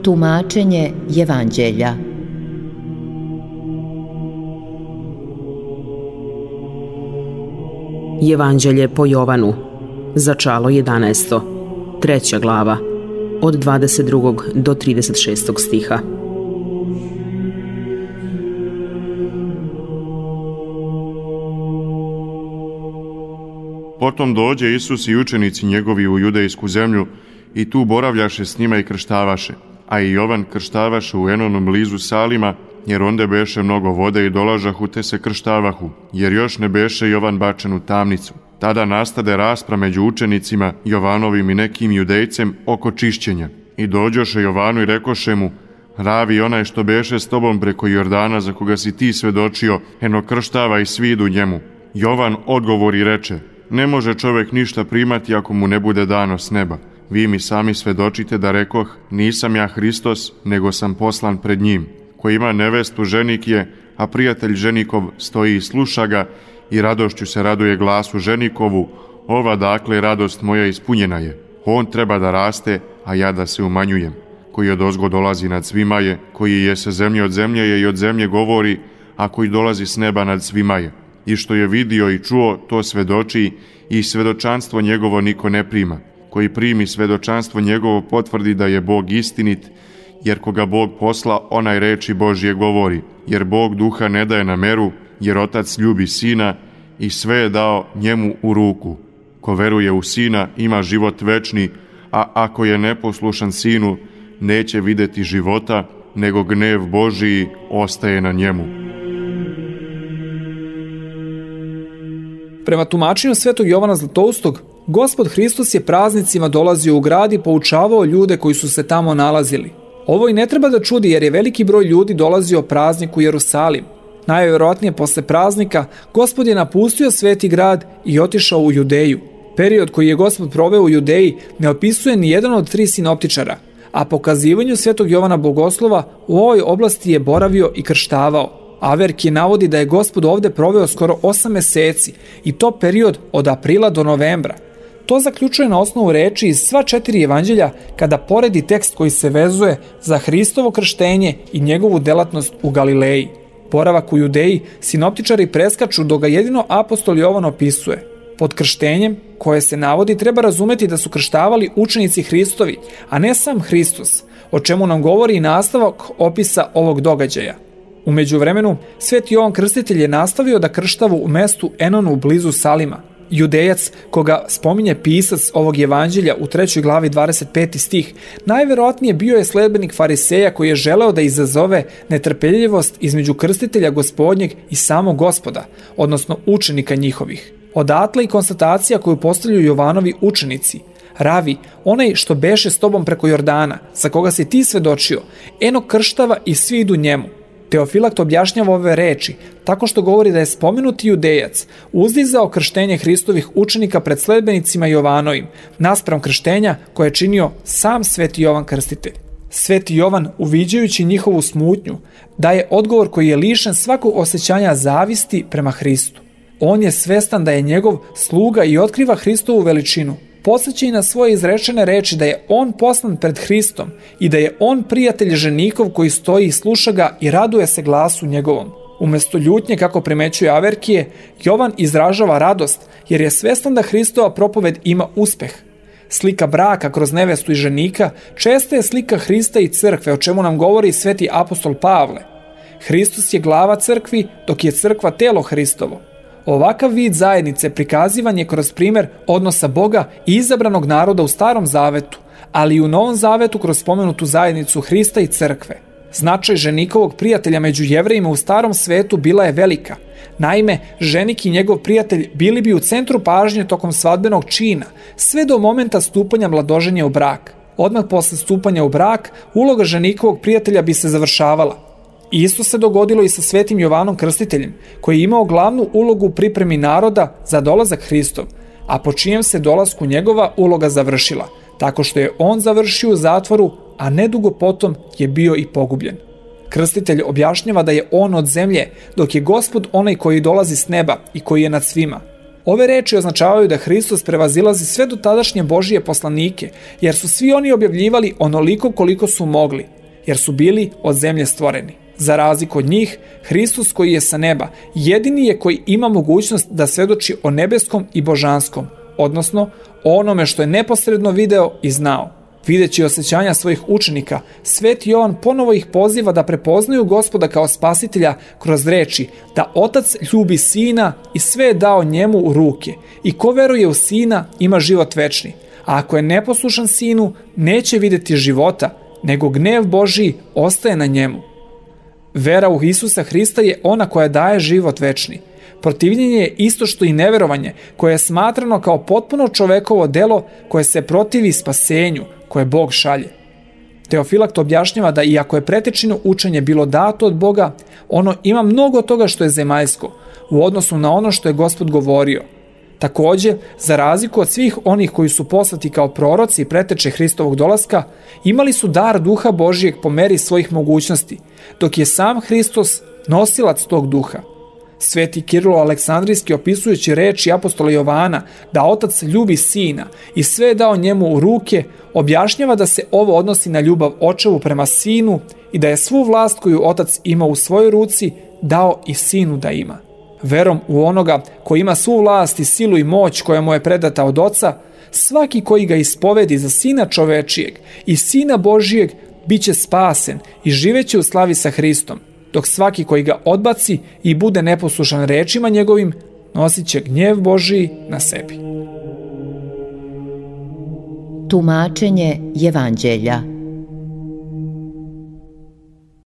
Tumačenje Evanđelja. Evanđelje po Jovanu, začalo 11. 3. glava, od 22. do 36. stiha. Potom dođe Isus i učenici njegovi u judejsku zemlju i tu boravljaše s njima i krštavaše. A i Jovan krštavaše u Enonom blizu Salima, jer onde beše mnogo vode i dolažahu te se krštavahu, jer još ne beše Jovan bačen u tamnicu. Tada nastade raspra među učenicima Jovanovim i nekim judejcem oko čišćenja. I dođoše Jovanu i rekoše mu: Ravi, onaj što beše s tobom preko Jordana, za koga si ti svedočio, eno krštava i svi idu njemu. Jovan odgovori reče: Ne može čovjek ništa primati ako mu ne bude dano s neba. Vi mi sami svedočite da rekoh, nisam ja Hristos, nego sam poslan pred njim. Ko ima nevestu, ženik je, a prijatelj ženikov stoji i sluša ga, i radošću se raduje glasu ženikovu. Ova dakle radost moja ispunjena je. On treba da raste, a ja da se umanjujem. Koji odozgo dolazi nad svima je, koji je sa zemlje od zemlje je i od zemlje govori, a koji dolazi s neba nad svima je. I što je vidio i čuo, to svedoči, i svedočanstvo njegovo niko ne prima. Koji primi svedočanstvo njegovo potvrdi da je Bog istinit, jer koga Bog posla, onaj reči Božje govori. Jer Bog duha ne daje na meru, jer Otac ljubi Sina i sve je dao njemu u ruku. Ko veruje u Sina ima život večni, a ako je neposlušan Sinu, neće videti života, nego gnev Božiji ostaje na njemu. Prema tumačenju svetog Jovana Zlatoustog, Gospod Hristos je praznicima dolazio u grad i poučavao ljude koji su se tamo nalazili. Ovo i ne treba da čudi, jer je veliki broj ljudi dolazio prazniku u Jerusalim. Najvjerojatnije posle praznika Gospod je napustio sveti grad i otišao u Judeju. Period koji je Gospod proveo u Judeji ne opisuje ni jedan od 3 sinoptičara, a po kazivanju svetog Jovana Bogoslova u ovoj oblasti je boravio i krštavao. Averki navodi da je Gospod ovde proveo skoro 8 meseci i to period od aprila do novembra. To zaključuje na osnovu reči iz sva 4 evanđelja kada poredi tekst koji se vezuje za Hristovo krštenje i njegovu delatnost u Galileji. Boravak u Judeji sinoptičari preskaču dok ga jedino apostol Jovan opisuje. Pod krštenjem, koje se navodi, treba razumeti da su krštavali učenici Hristovi, a ne sam Hristos, o čemu nam govori i nastavak opisa ovog događaja. U međuvremenu, sveti Jovan Krstitelj je nastavio da krštava u mestu Enonu blizu Salima. Judejac, koga spominje pisac ovog evanđelja u 3. glavi 25. stih, najverovatnije bio je sledbenik fariseja koji je želeo da izazove netrpeljivost između krstitelja Gospodnjeg i samog Gospoda, odnosno učenika njihovih. Odatle i konstatacija koju postavljaju Jovanovi učenici: Ravi, onaj što beše s tobom preko Jordana, za koga si ti svedočio, eno krštava i svi idu njemu. Teofilakt objašnjava ove reči tako što govori da je spomenuti Judejac uzdizao krštenje Hristovih učenika pred sledbenicima Jovanovim, naspram krštenja koje je činio sam sveti Jovan Krstitelj. Sveti Jovan, uviđajući njihovu smutnju, daje odgovor koji je lišen svakog osjećanja zavisti prema Hristu. On je svestan da je njegov sluga i otkriva Hristovu veličinu. Podseća i na svoje izrečene reči da je on poslan pred Hristom i da je on prijatelj ženikov koji stoji i sluša ga i raduje se glasu njegovom. Umesto ljutnje, kako primećuje Averkije, Jovan izražava radost jer je svestan da Hristova propoved ima uspeh. Slika braka kroz nevestu i ženika česta je slika Hrista i crkve, o čemu nam govori sveti apostol Pavle. Hristos je glava crkvi, dok je crkva telo Hristovo. Ovakav vid zajednice prikazivan je kroz primer odnosa Boga i izabranog naroda u Starom zavetu, ali i u Novom zavetu kroz spomenutu zajednicu Hrista i crkve. Značaj ženikovog prijatelja među Jevrejima u Starom svetu bila je velika. Naime, ženik i njegov prijatelj bili bi u centru pažnje tokom svadbenog čina, sve do momenta stupanja mladoženja u brak. Odmah posle stupanja u brak, uloga ženikovog prijatelja bi se završavala. Isto se dogodilo i sa svetim Jovanom Krstiteljem, koji je imao glavnu ulogu u pripremi naroda za dolazak Hristov, a po čijem se dolasku njegova uloga završila, tako što je on završio u zatvoru, a nedugo potom je bio i pogubljen. Krstitelj objašnjava da je on od zemlje, dok je Gospod onaj koji dolazi s neba i koji je nad svima. Ove reči označavaju da Hristos prevazilazi sve dotadašnje Božije poslanike, jer su svi oni objavljivali onoliko koliko su mogli, jer su bili od zemlje stvoreni. Za razliku od njih, Hristos koji je sa neba jedini je koji ima mogućnost da svedoči o nebeskom i božanskom, odnosno o onome što je neposredno video i znao. Videći osjećanja svojih učenika, Sveti Jovan ponovo ih poziva da prepoznaju Gospoda kao spasitelja kroz reči da Otac ljubi Sina i sve je dao njemu u ruke i ko veruje u Sina ima život večni, a ako je neposlušan Sinu neće vidjeti života, nego gnev Božji ostaje na njemu. Vera u Isusa Hrista je ona koja daje život večni. Protivljenje je isto što i neverovanje, koje je smatrano kao potpuno čovekovo delo koje se protivi spasenju koje Bog šalje. Teofilakt objašnjava da iako je pretečino učenje bilo dato od Boga, ono ima mnogo toga što je zemaljsko u odnosu na ono što je Gospod govorio. Također, za razliku od svih onih koji su poslati kao proroci i preteče Hristovog dolaska, imali su dar Duha Božijeg po meri svojih mogućnosti, dok je sam Hristos nosilac tog duha. Sveti Kirilo Aleksandrijski, opisujući reči apostola Jovana da Otac ljubi Sina i sve je dao njemu u ruke, objašnjava da se ovo odnosi na ljubav očevu prema Sinu i da je svu vlast koju Otac ima u svojoj ruci dao i Sinu da ima. Verom u onoga koji ima svu vlast i silu i moć koja mu je predata od Oca, svaki koji ga ispovedi za Sina čovečijeg i Sina Božijeg bit će spasen i živeće u slavi sa Hristom, dok svaki koji ga odbaci i bude neposlušan rečima njegovim, nosit će gnjev Božiji na sebi. Tumačenje Evanđelja.